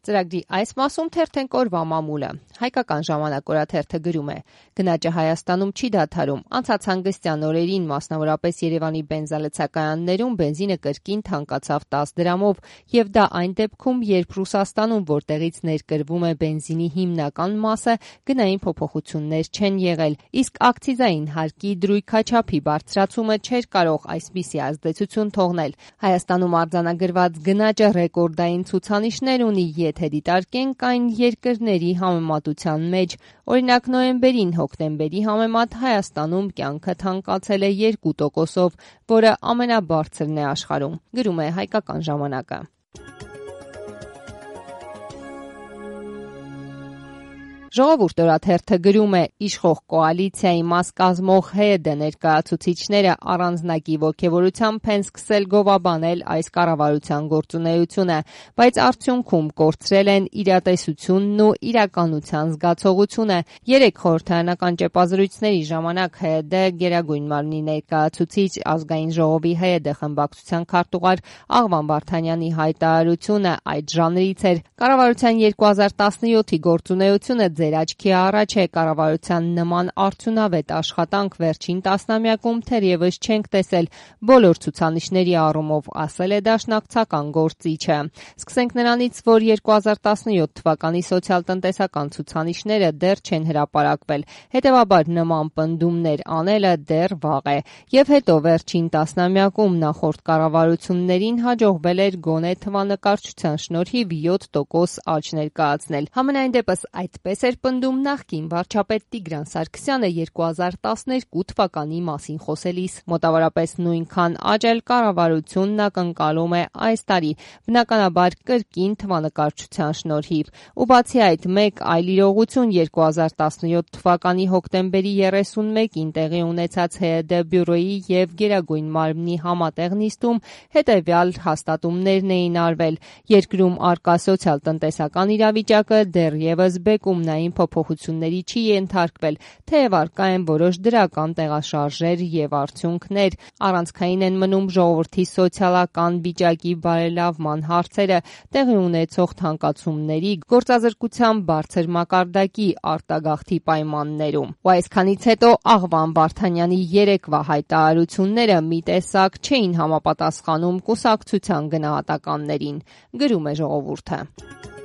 Ծրագրի այս մասում թերթենք օրվա մամուլը։ Հայկական ժամանակ օրաթերթը գրում է. գնաճը Հայաստանում չի դադարում։ Անցած հանգստյան օրերին, մասնավորապես Երևանի բենզալցակայաններում բենզինը կրկին թանկացավ 10 դրամով, եւ դա այն դեպքում, երբ Ռուսաստանում, որտեղից ներկրվում է բենզինի հիմնական մասը, գնային փոփոխություններ չեն եղել, իսկ ակցիզային հարկի դրույքաչափի բարձրացումը չէր կարող այսպիսի ազդեցություն թողնել։ Հայաստանում արձանագրված գնաճը ռեկորդային ցուցանիշներ ունի, եթե դիտարկենք այն երկրների համեմատության մեջ։ Օրինակ նոյեմբերին հոկտեմբերի համեմատ Հայաստանում կյանքը թանկացել է 2%-ով, որը ամենաբարձրն է աշխարհում, գրում է Հայկական ժամանակը։ Ժողովուրդ օրաթերթը գրում է. իշխող կոալիցիայի մաս կազմող ՀՅԴ ներկայացուցիչները առանձնակի ոգևորությամբ են սկսել գովաբանել այս կառավարության գործունեությունը, բայց արդյունքում կորցրել են իրատեսությունն ու իրականության զգացողությունը։ Երեք խորհրդարանական ճեպազրույցների ժամանակ ՀՅԴ Գերագույն մարմնի ներկայացուցիչ Ազգային ժողովի ՀՅԴ խմբակցության քարտուղար Աղվան Վարդանյանի հայտարարությունը այդ ժանրից էր։ Կառավարության 2017-ի գործունեությունը ձեր աչքի առաջ է, կառավարության նման արդյունավետ աշխատանք վերջին տասնամյակում թերևս չենք տեսել բոլոր ցուցանիշների առումով, ասել է դաշնակցական գործիչը։ Սկսենք նրանից, որ 2017 թվականի սոցիալ-տնտեսական ցուցանիշները դեռ չեն հրապարակվել, հետևաբար նման պնդումներ անելը դեռ վաղ է։ Եվ հետո վերջին տասնամյակում նախորդ կառավարություններին հաջողվել էր գոնե թվանկարչության շնորհիվ 7% աճ ներկայացնել։ Համենայն դեպս այդպես էր պնդում նախկին վարչապետ Տիգրան Սարգսյանը 2012 թվականի մասին խոսելիս։ Մոտավորապես նույնքան աճ էլ կառավարությունն ակնկալում է այս տարի, բնականաբար կրկին թվանկարչության շնորհիվ։ Ու բացի այդ, մեկ այլ իրողություն 2017 թվականի հոկտեմբերի 31-ին տեղի ունեցած ՀՅԴ բյուրոյի եւ Գերագույն մարմնի համատեղ նիստում հետեւյալ հաստատումներն էին արվել. երկրում առկա սոցիալ-տնտեսական իրավիճակը դեռևս բեկումնային փոփոխությունների չի ենթարկվել, թեև առկա են որոշ դրական տեղաշարժեր եւ արդյունքներ։ Առանցքային են մնում ժողովրդի սոցիալական վիճակի բարելավման հարցերը, տեղի ունեցող թանկացումների, գործազրկության բարձր մակարդակի, արտագաղթի պայմաններում։ Ու այսքանից հետո Աղվան Վարդանյանի երեկվա հայտարարությունները մի տեսակ չէին համապատասխանում կուսակցության գնահատականներին, գրում է Ժողովուրդը։